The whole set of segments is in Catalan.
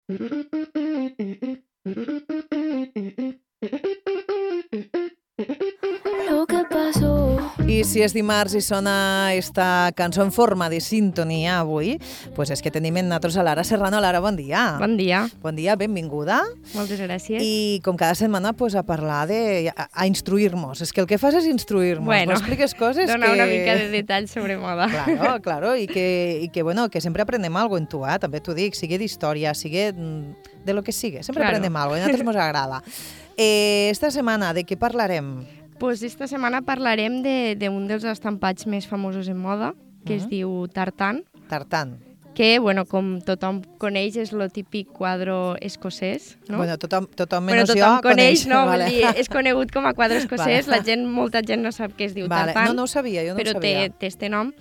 Lo que pasó. I si és dimarts i sona esta cançó en forma de sintonia avui, pues és que tenim en nosaltres a Lara Serrano. Lara, bon dia. Bon dia. Bon dia, benvinguda. Moltes gràcies. I com cada setmana pues, a parlar a instruir-nos. És que el que fas és instruir-nos. Bueno, expliques coses dona que... una mica de detalls sobre moda. Claro, i que, bueno, que sempre aprenem algo en tu, també t'ho dic, sigui d'història, sigui de lo que sigui, sempre aprenem algo, i a nosaltres ens agrada. Esta setmana, de què parlarem? Pues esta setmana parlarem d'un dels estampats més famosos en moda, que es diu Tartan. Tartan. Que, bueno, com tothom coneix, és el típic quadre escocès, no? Bueno, tothom menys jo coneix, no? Vale. Vull dir, és conegut com a quadre escocès, molta gent no sap què es diu Tartan. No ho sabia, jo no ho sabia. Però té este nom.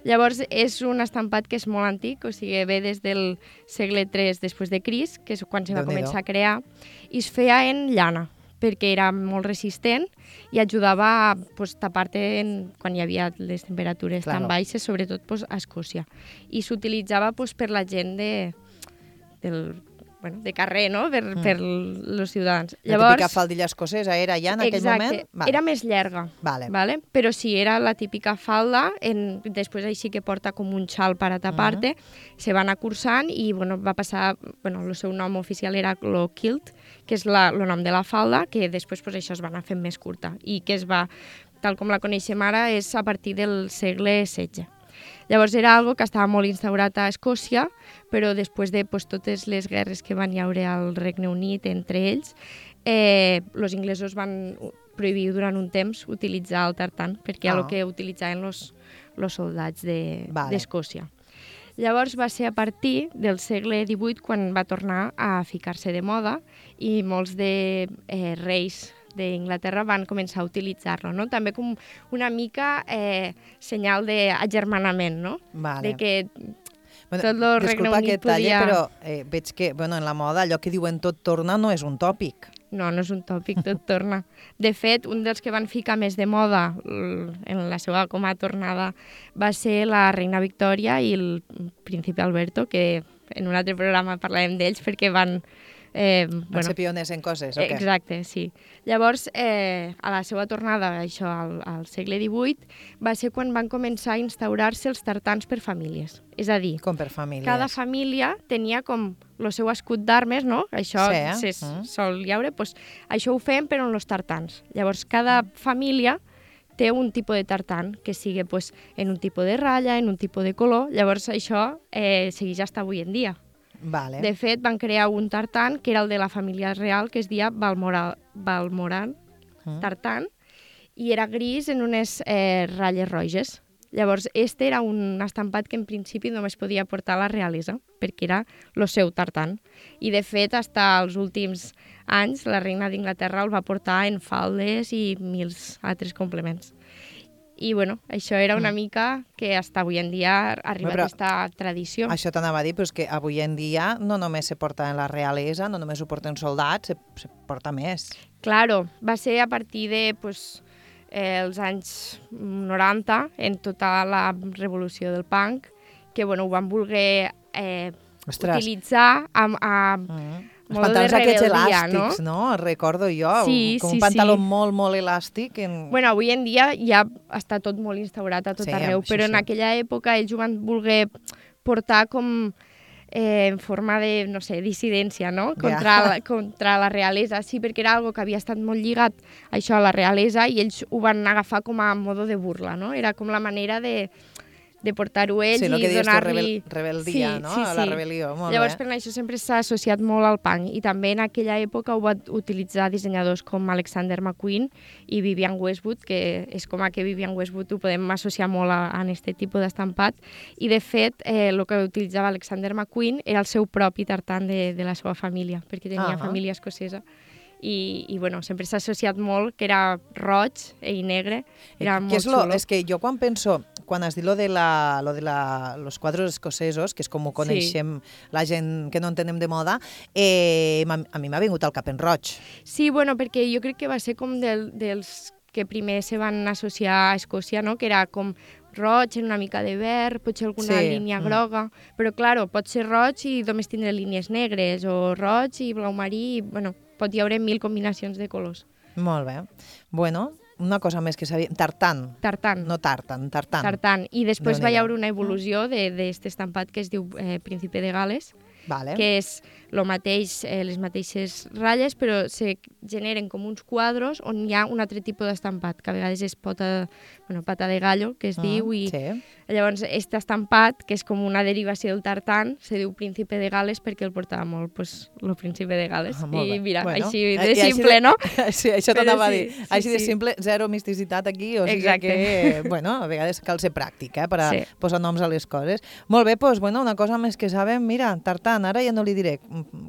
Llavors, és un estampat que és molt antic, o sigui, ve des del segle III després de Crist, que és quan se va començar a crear, i es feia en llana, perquè era molt resistent i ajudava a tapar-te quan hi havia les temperatures tan baixes, sobretot a Escòcia. I s'utilitzava per la gent de carrer, no? Per els ciutadans. La típica faldilla escocesa era ja en aquell moment? Exacte, era més llarga, vale. Però sí, era la típica falda, després així que porta com un xal per a tapar-te, se va anar cursant i va passar, el seu nom oficial era el kilt, que és el nom de la falda, que després això es va anar fent més curta i que es va, tal com la coneixem ara, és a partir del segle XVI. Llavors era algo que estava molt instaurat a Escòcia, però després de totes les guerres que van haure al Regne Unit entre ells, els inglesos van prohibir durant un temps utilitzar el tartan, perquè era el que utilitzaven els soldats d'Escòcia. Llavors va ser a partir del segle XVIII quan va tornar a ficar-se de moda i molts de reis d'Inglaterra van començar a utilitzar-lo, no? També com una mica senyal d'agermanament, no? Vale. De que tot el Regne Unit podia... però veig que en la moda allò que diuen tot torna no és un tòpic. No és un tòpic, tot torna. De fet, un dels que van ficar més de moda en la seva com a tornada va ser la reina Victòria i el príncipe Alberto, que en un altre programa parlarem d'ells perquè van ser pioners en coses, o què? Exacte, sí. Llavors, a la seva tornada, això, al segle XVIII, va ser quan van començar a instaurar-se els tartans per famílies. És a dir, com per famílies? Cada família tenia com el seu escut d'armes, no? Això se sol llaure, doncs això ho fem però en els tartans. Llavors, cada família té un tipus de tartan que sigui en un tipus de ratlla, en un tipus de color. Llavors, això segueix fins avui en dia. Vale. De fet, van crear un tartan que era el de la família real, que es deia Balmoral tartan, i era gris en unes ratlles roges. Llavors, este era un estampat que en principi només podia portar la realesa, perquè era el seu tartan. I de fet, fins als últims anys, la reina d'Inglaterra el va portar en faldes i mils altres complements. I, això era una mica que fins avui en dia ha arribat aquesta tradició. Això t'anava a dir, però és que avui en dia no només se porta en la realesa, no només ho porten soldats, se porta més. Claro, va ser a partir de els anys 90, en tota la revolució del punk, que ho van voler utilitzar els pantalons aquests elàstics, no? Recordo jo, com un pantaló molt, molt elàstic. Avui en dia ja està tot molt instaurat a tot arreu, però en aquella època ells ho van voler portar com en forma de, no sé, dissidència, no? Contra la realesa, sí, perquè era algo que havia estat molt lligat això a la realesa i ells ho van agafar com a modo de burla, no? Era com la manera de portar-ho ells i donar-li... rebel·dia, no? La rebel·lió, molt bé. Llavors, per això sempre s'ha associat molt al punk i també en aquella època ho van utilitzar dissenyadors com Alexander McQueen i Vivienne Westwood, que és com que Vivienne Westwood ho podem associar molt a aquest tipus d'estampat i, de fet, el que utilitzava Alexander McQueen era el seu propi tartan de la seva família, perquè tenia família escocesa. I sempre s'ha associat molt que era roig i negre, era molt xulo. És que jo quan has dit lo de los quadros escocesos, que és com ho coneixem la gent que no entenem de moda, a mi m'ha vingut al cap en roig. Sí, perquè jo crec que va ser com dels que primer se van associar a Escòcia, no? Que era com roig, en una mica de verd, potser alguna línia groga, però, clar, pot ser roig i només tindre línies negres, o roig i blau marí, bueno, pot hi haure 1000 combinacions de colors. Molt bé. Bueno, una cosa més que sabia... Tartan. Tartan. No tartan, tartan. Tartan. I després va hi haure una evolució d'aquest estampat que es diu Príncipe de Gales, que és lo mateix, les mateixes ratlles, però se generen com uns quadros on hi ha un altre tipus d'estampat, que a vegades és pata de gallo, que es diu, i llavors aquest estampat, que és com una derivació del tartan, se diu Príncipe de Gales perquè el portava molt, el Príncipe de Gales. I mira, així de simple, no? Sí, això t'anava a dir. Així de simple, zero misticitat aquí, o sigui que, bueno, a vegades cal ser pràctic, per a posar noms a les coses. Molt bé, doncs, bueno, una cosa més que sabem, mira, tartan, ara ja no li diré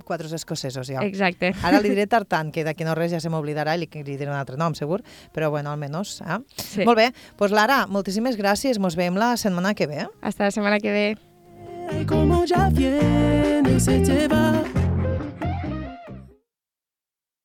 quadros escocesos, ja. Exacte. Ara li diré tartan, que d'aquí no res ja se m'oblidarà i li diré un altre nom, segur, però bueno, almenys, Sí. Molt bé, doncs Lara, moltíssimes gràcies, mos veiem la setmana que ve. Hasta la setmana que ve. Como ya viene, se te va.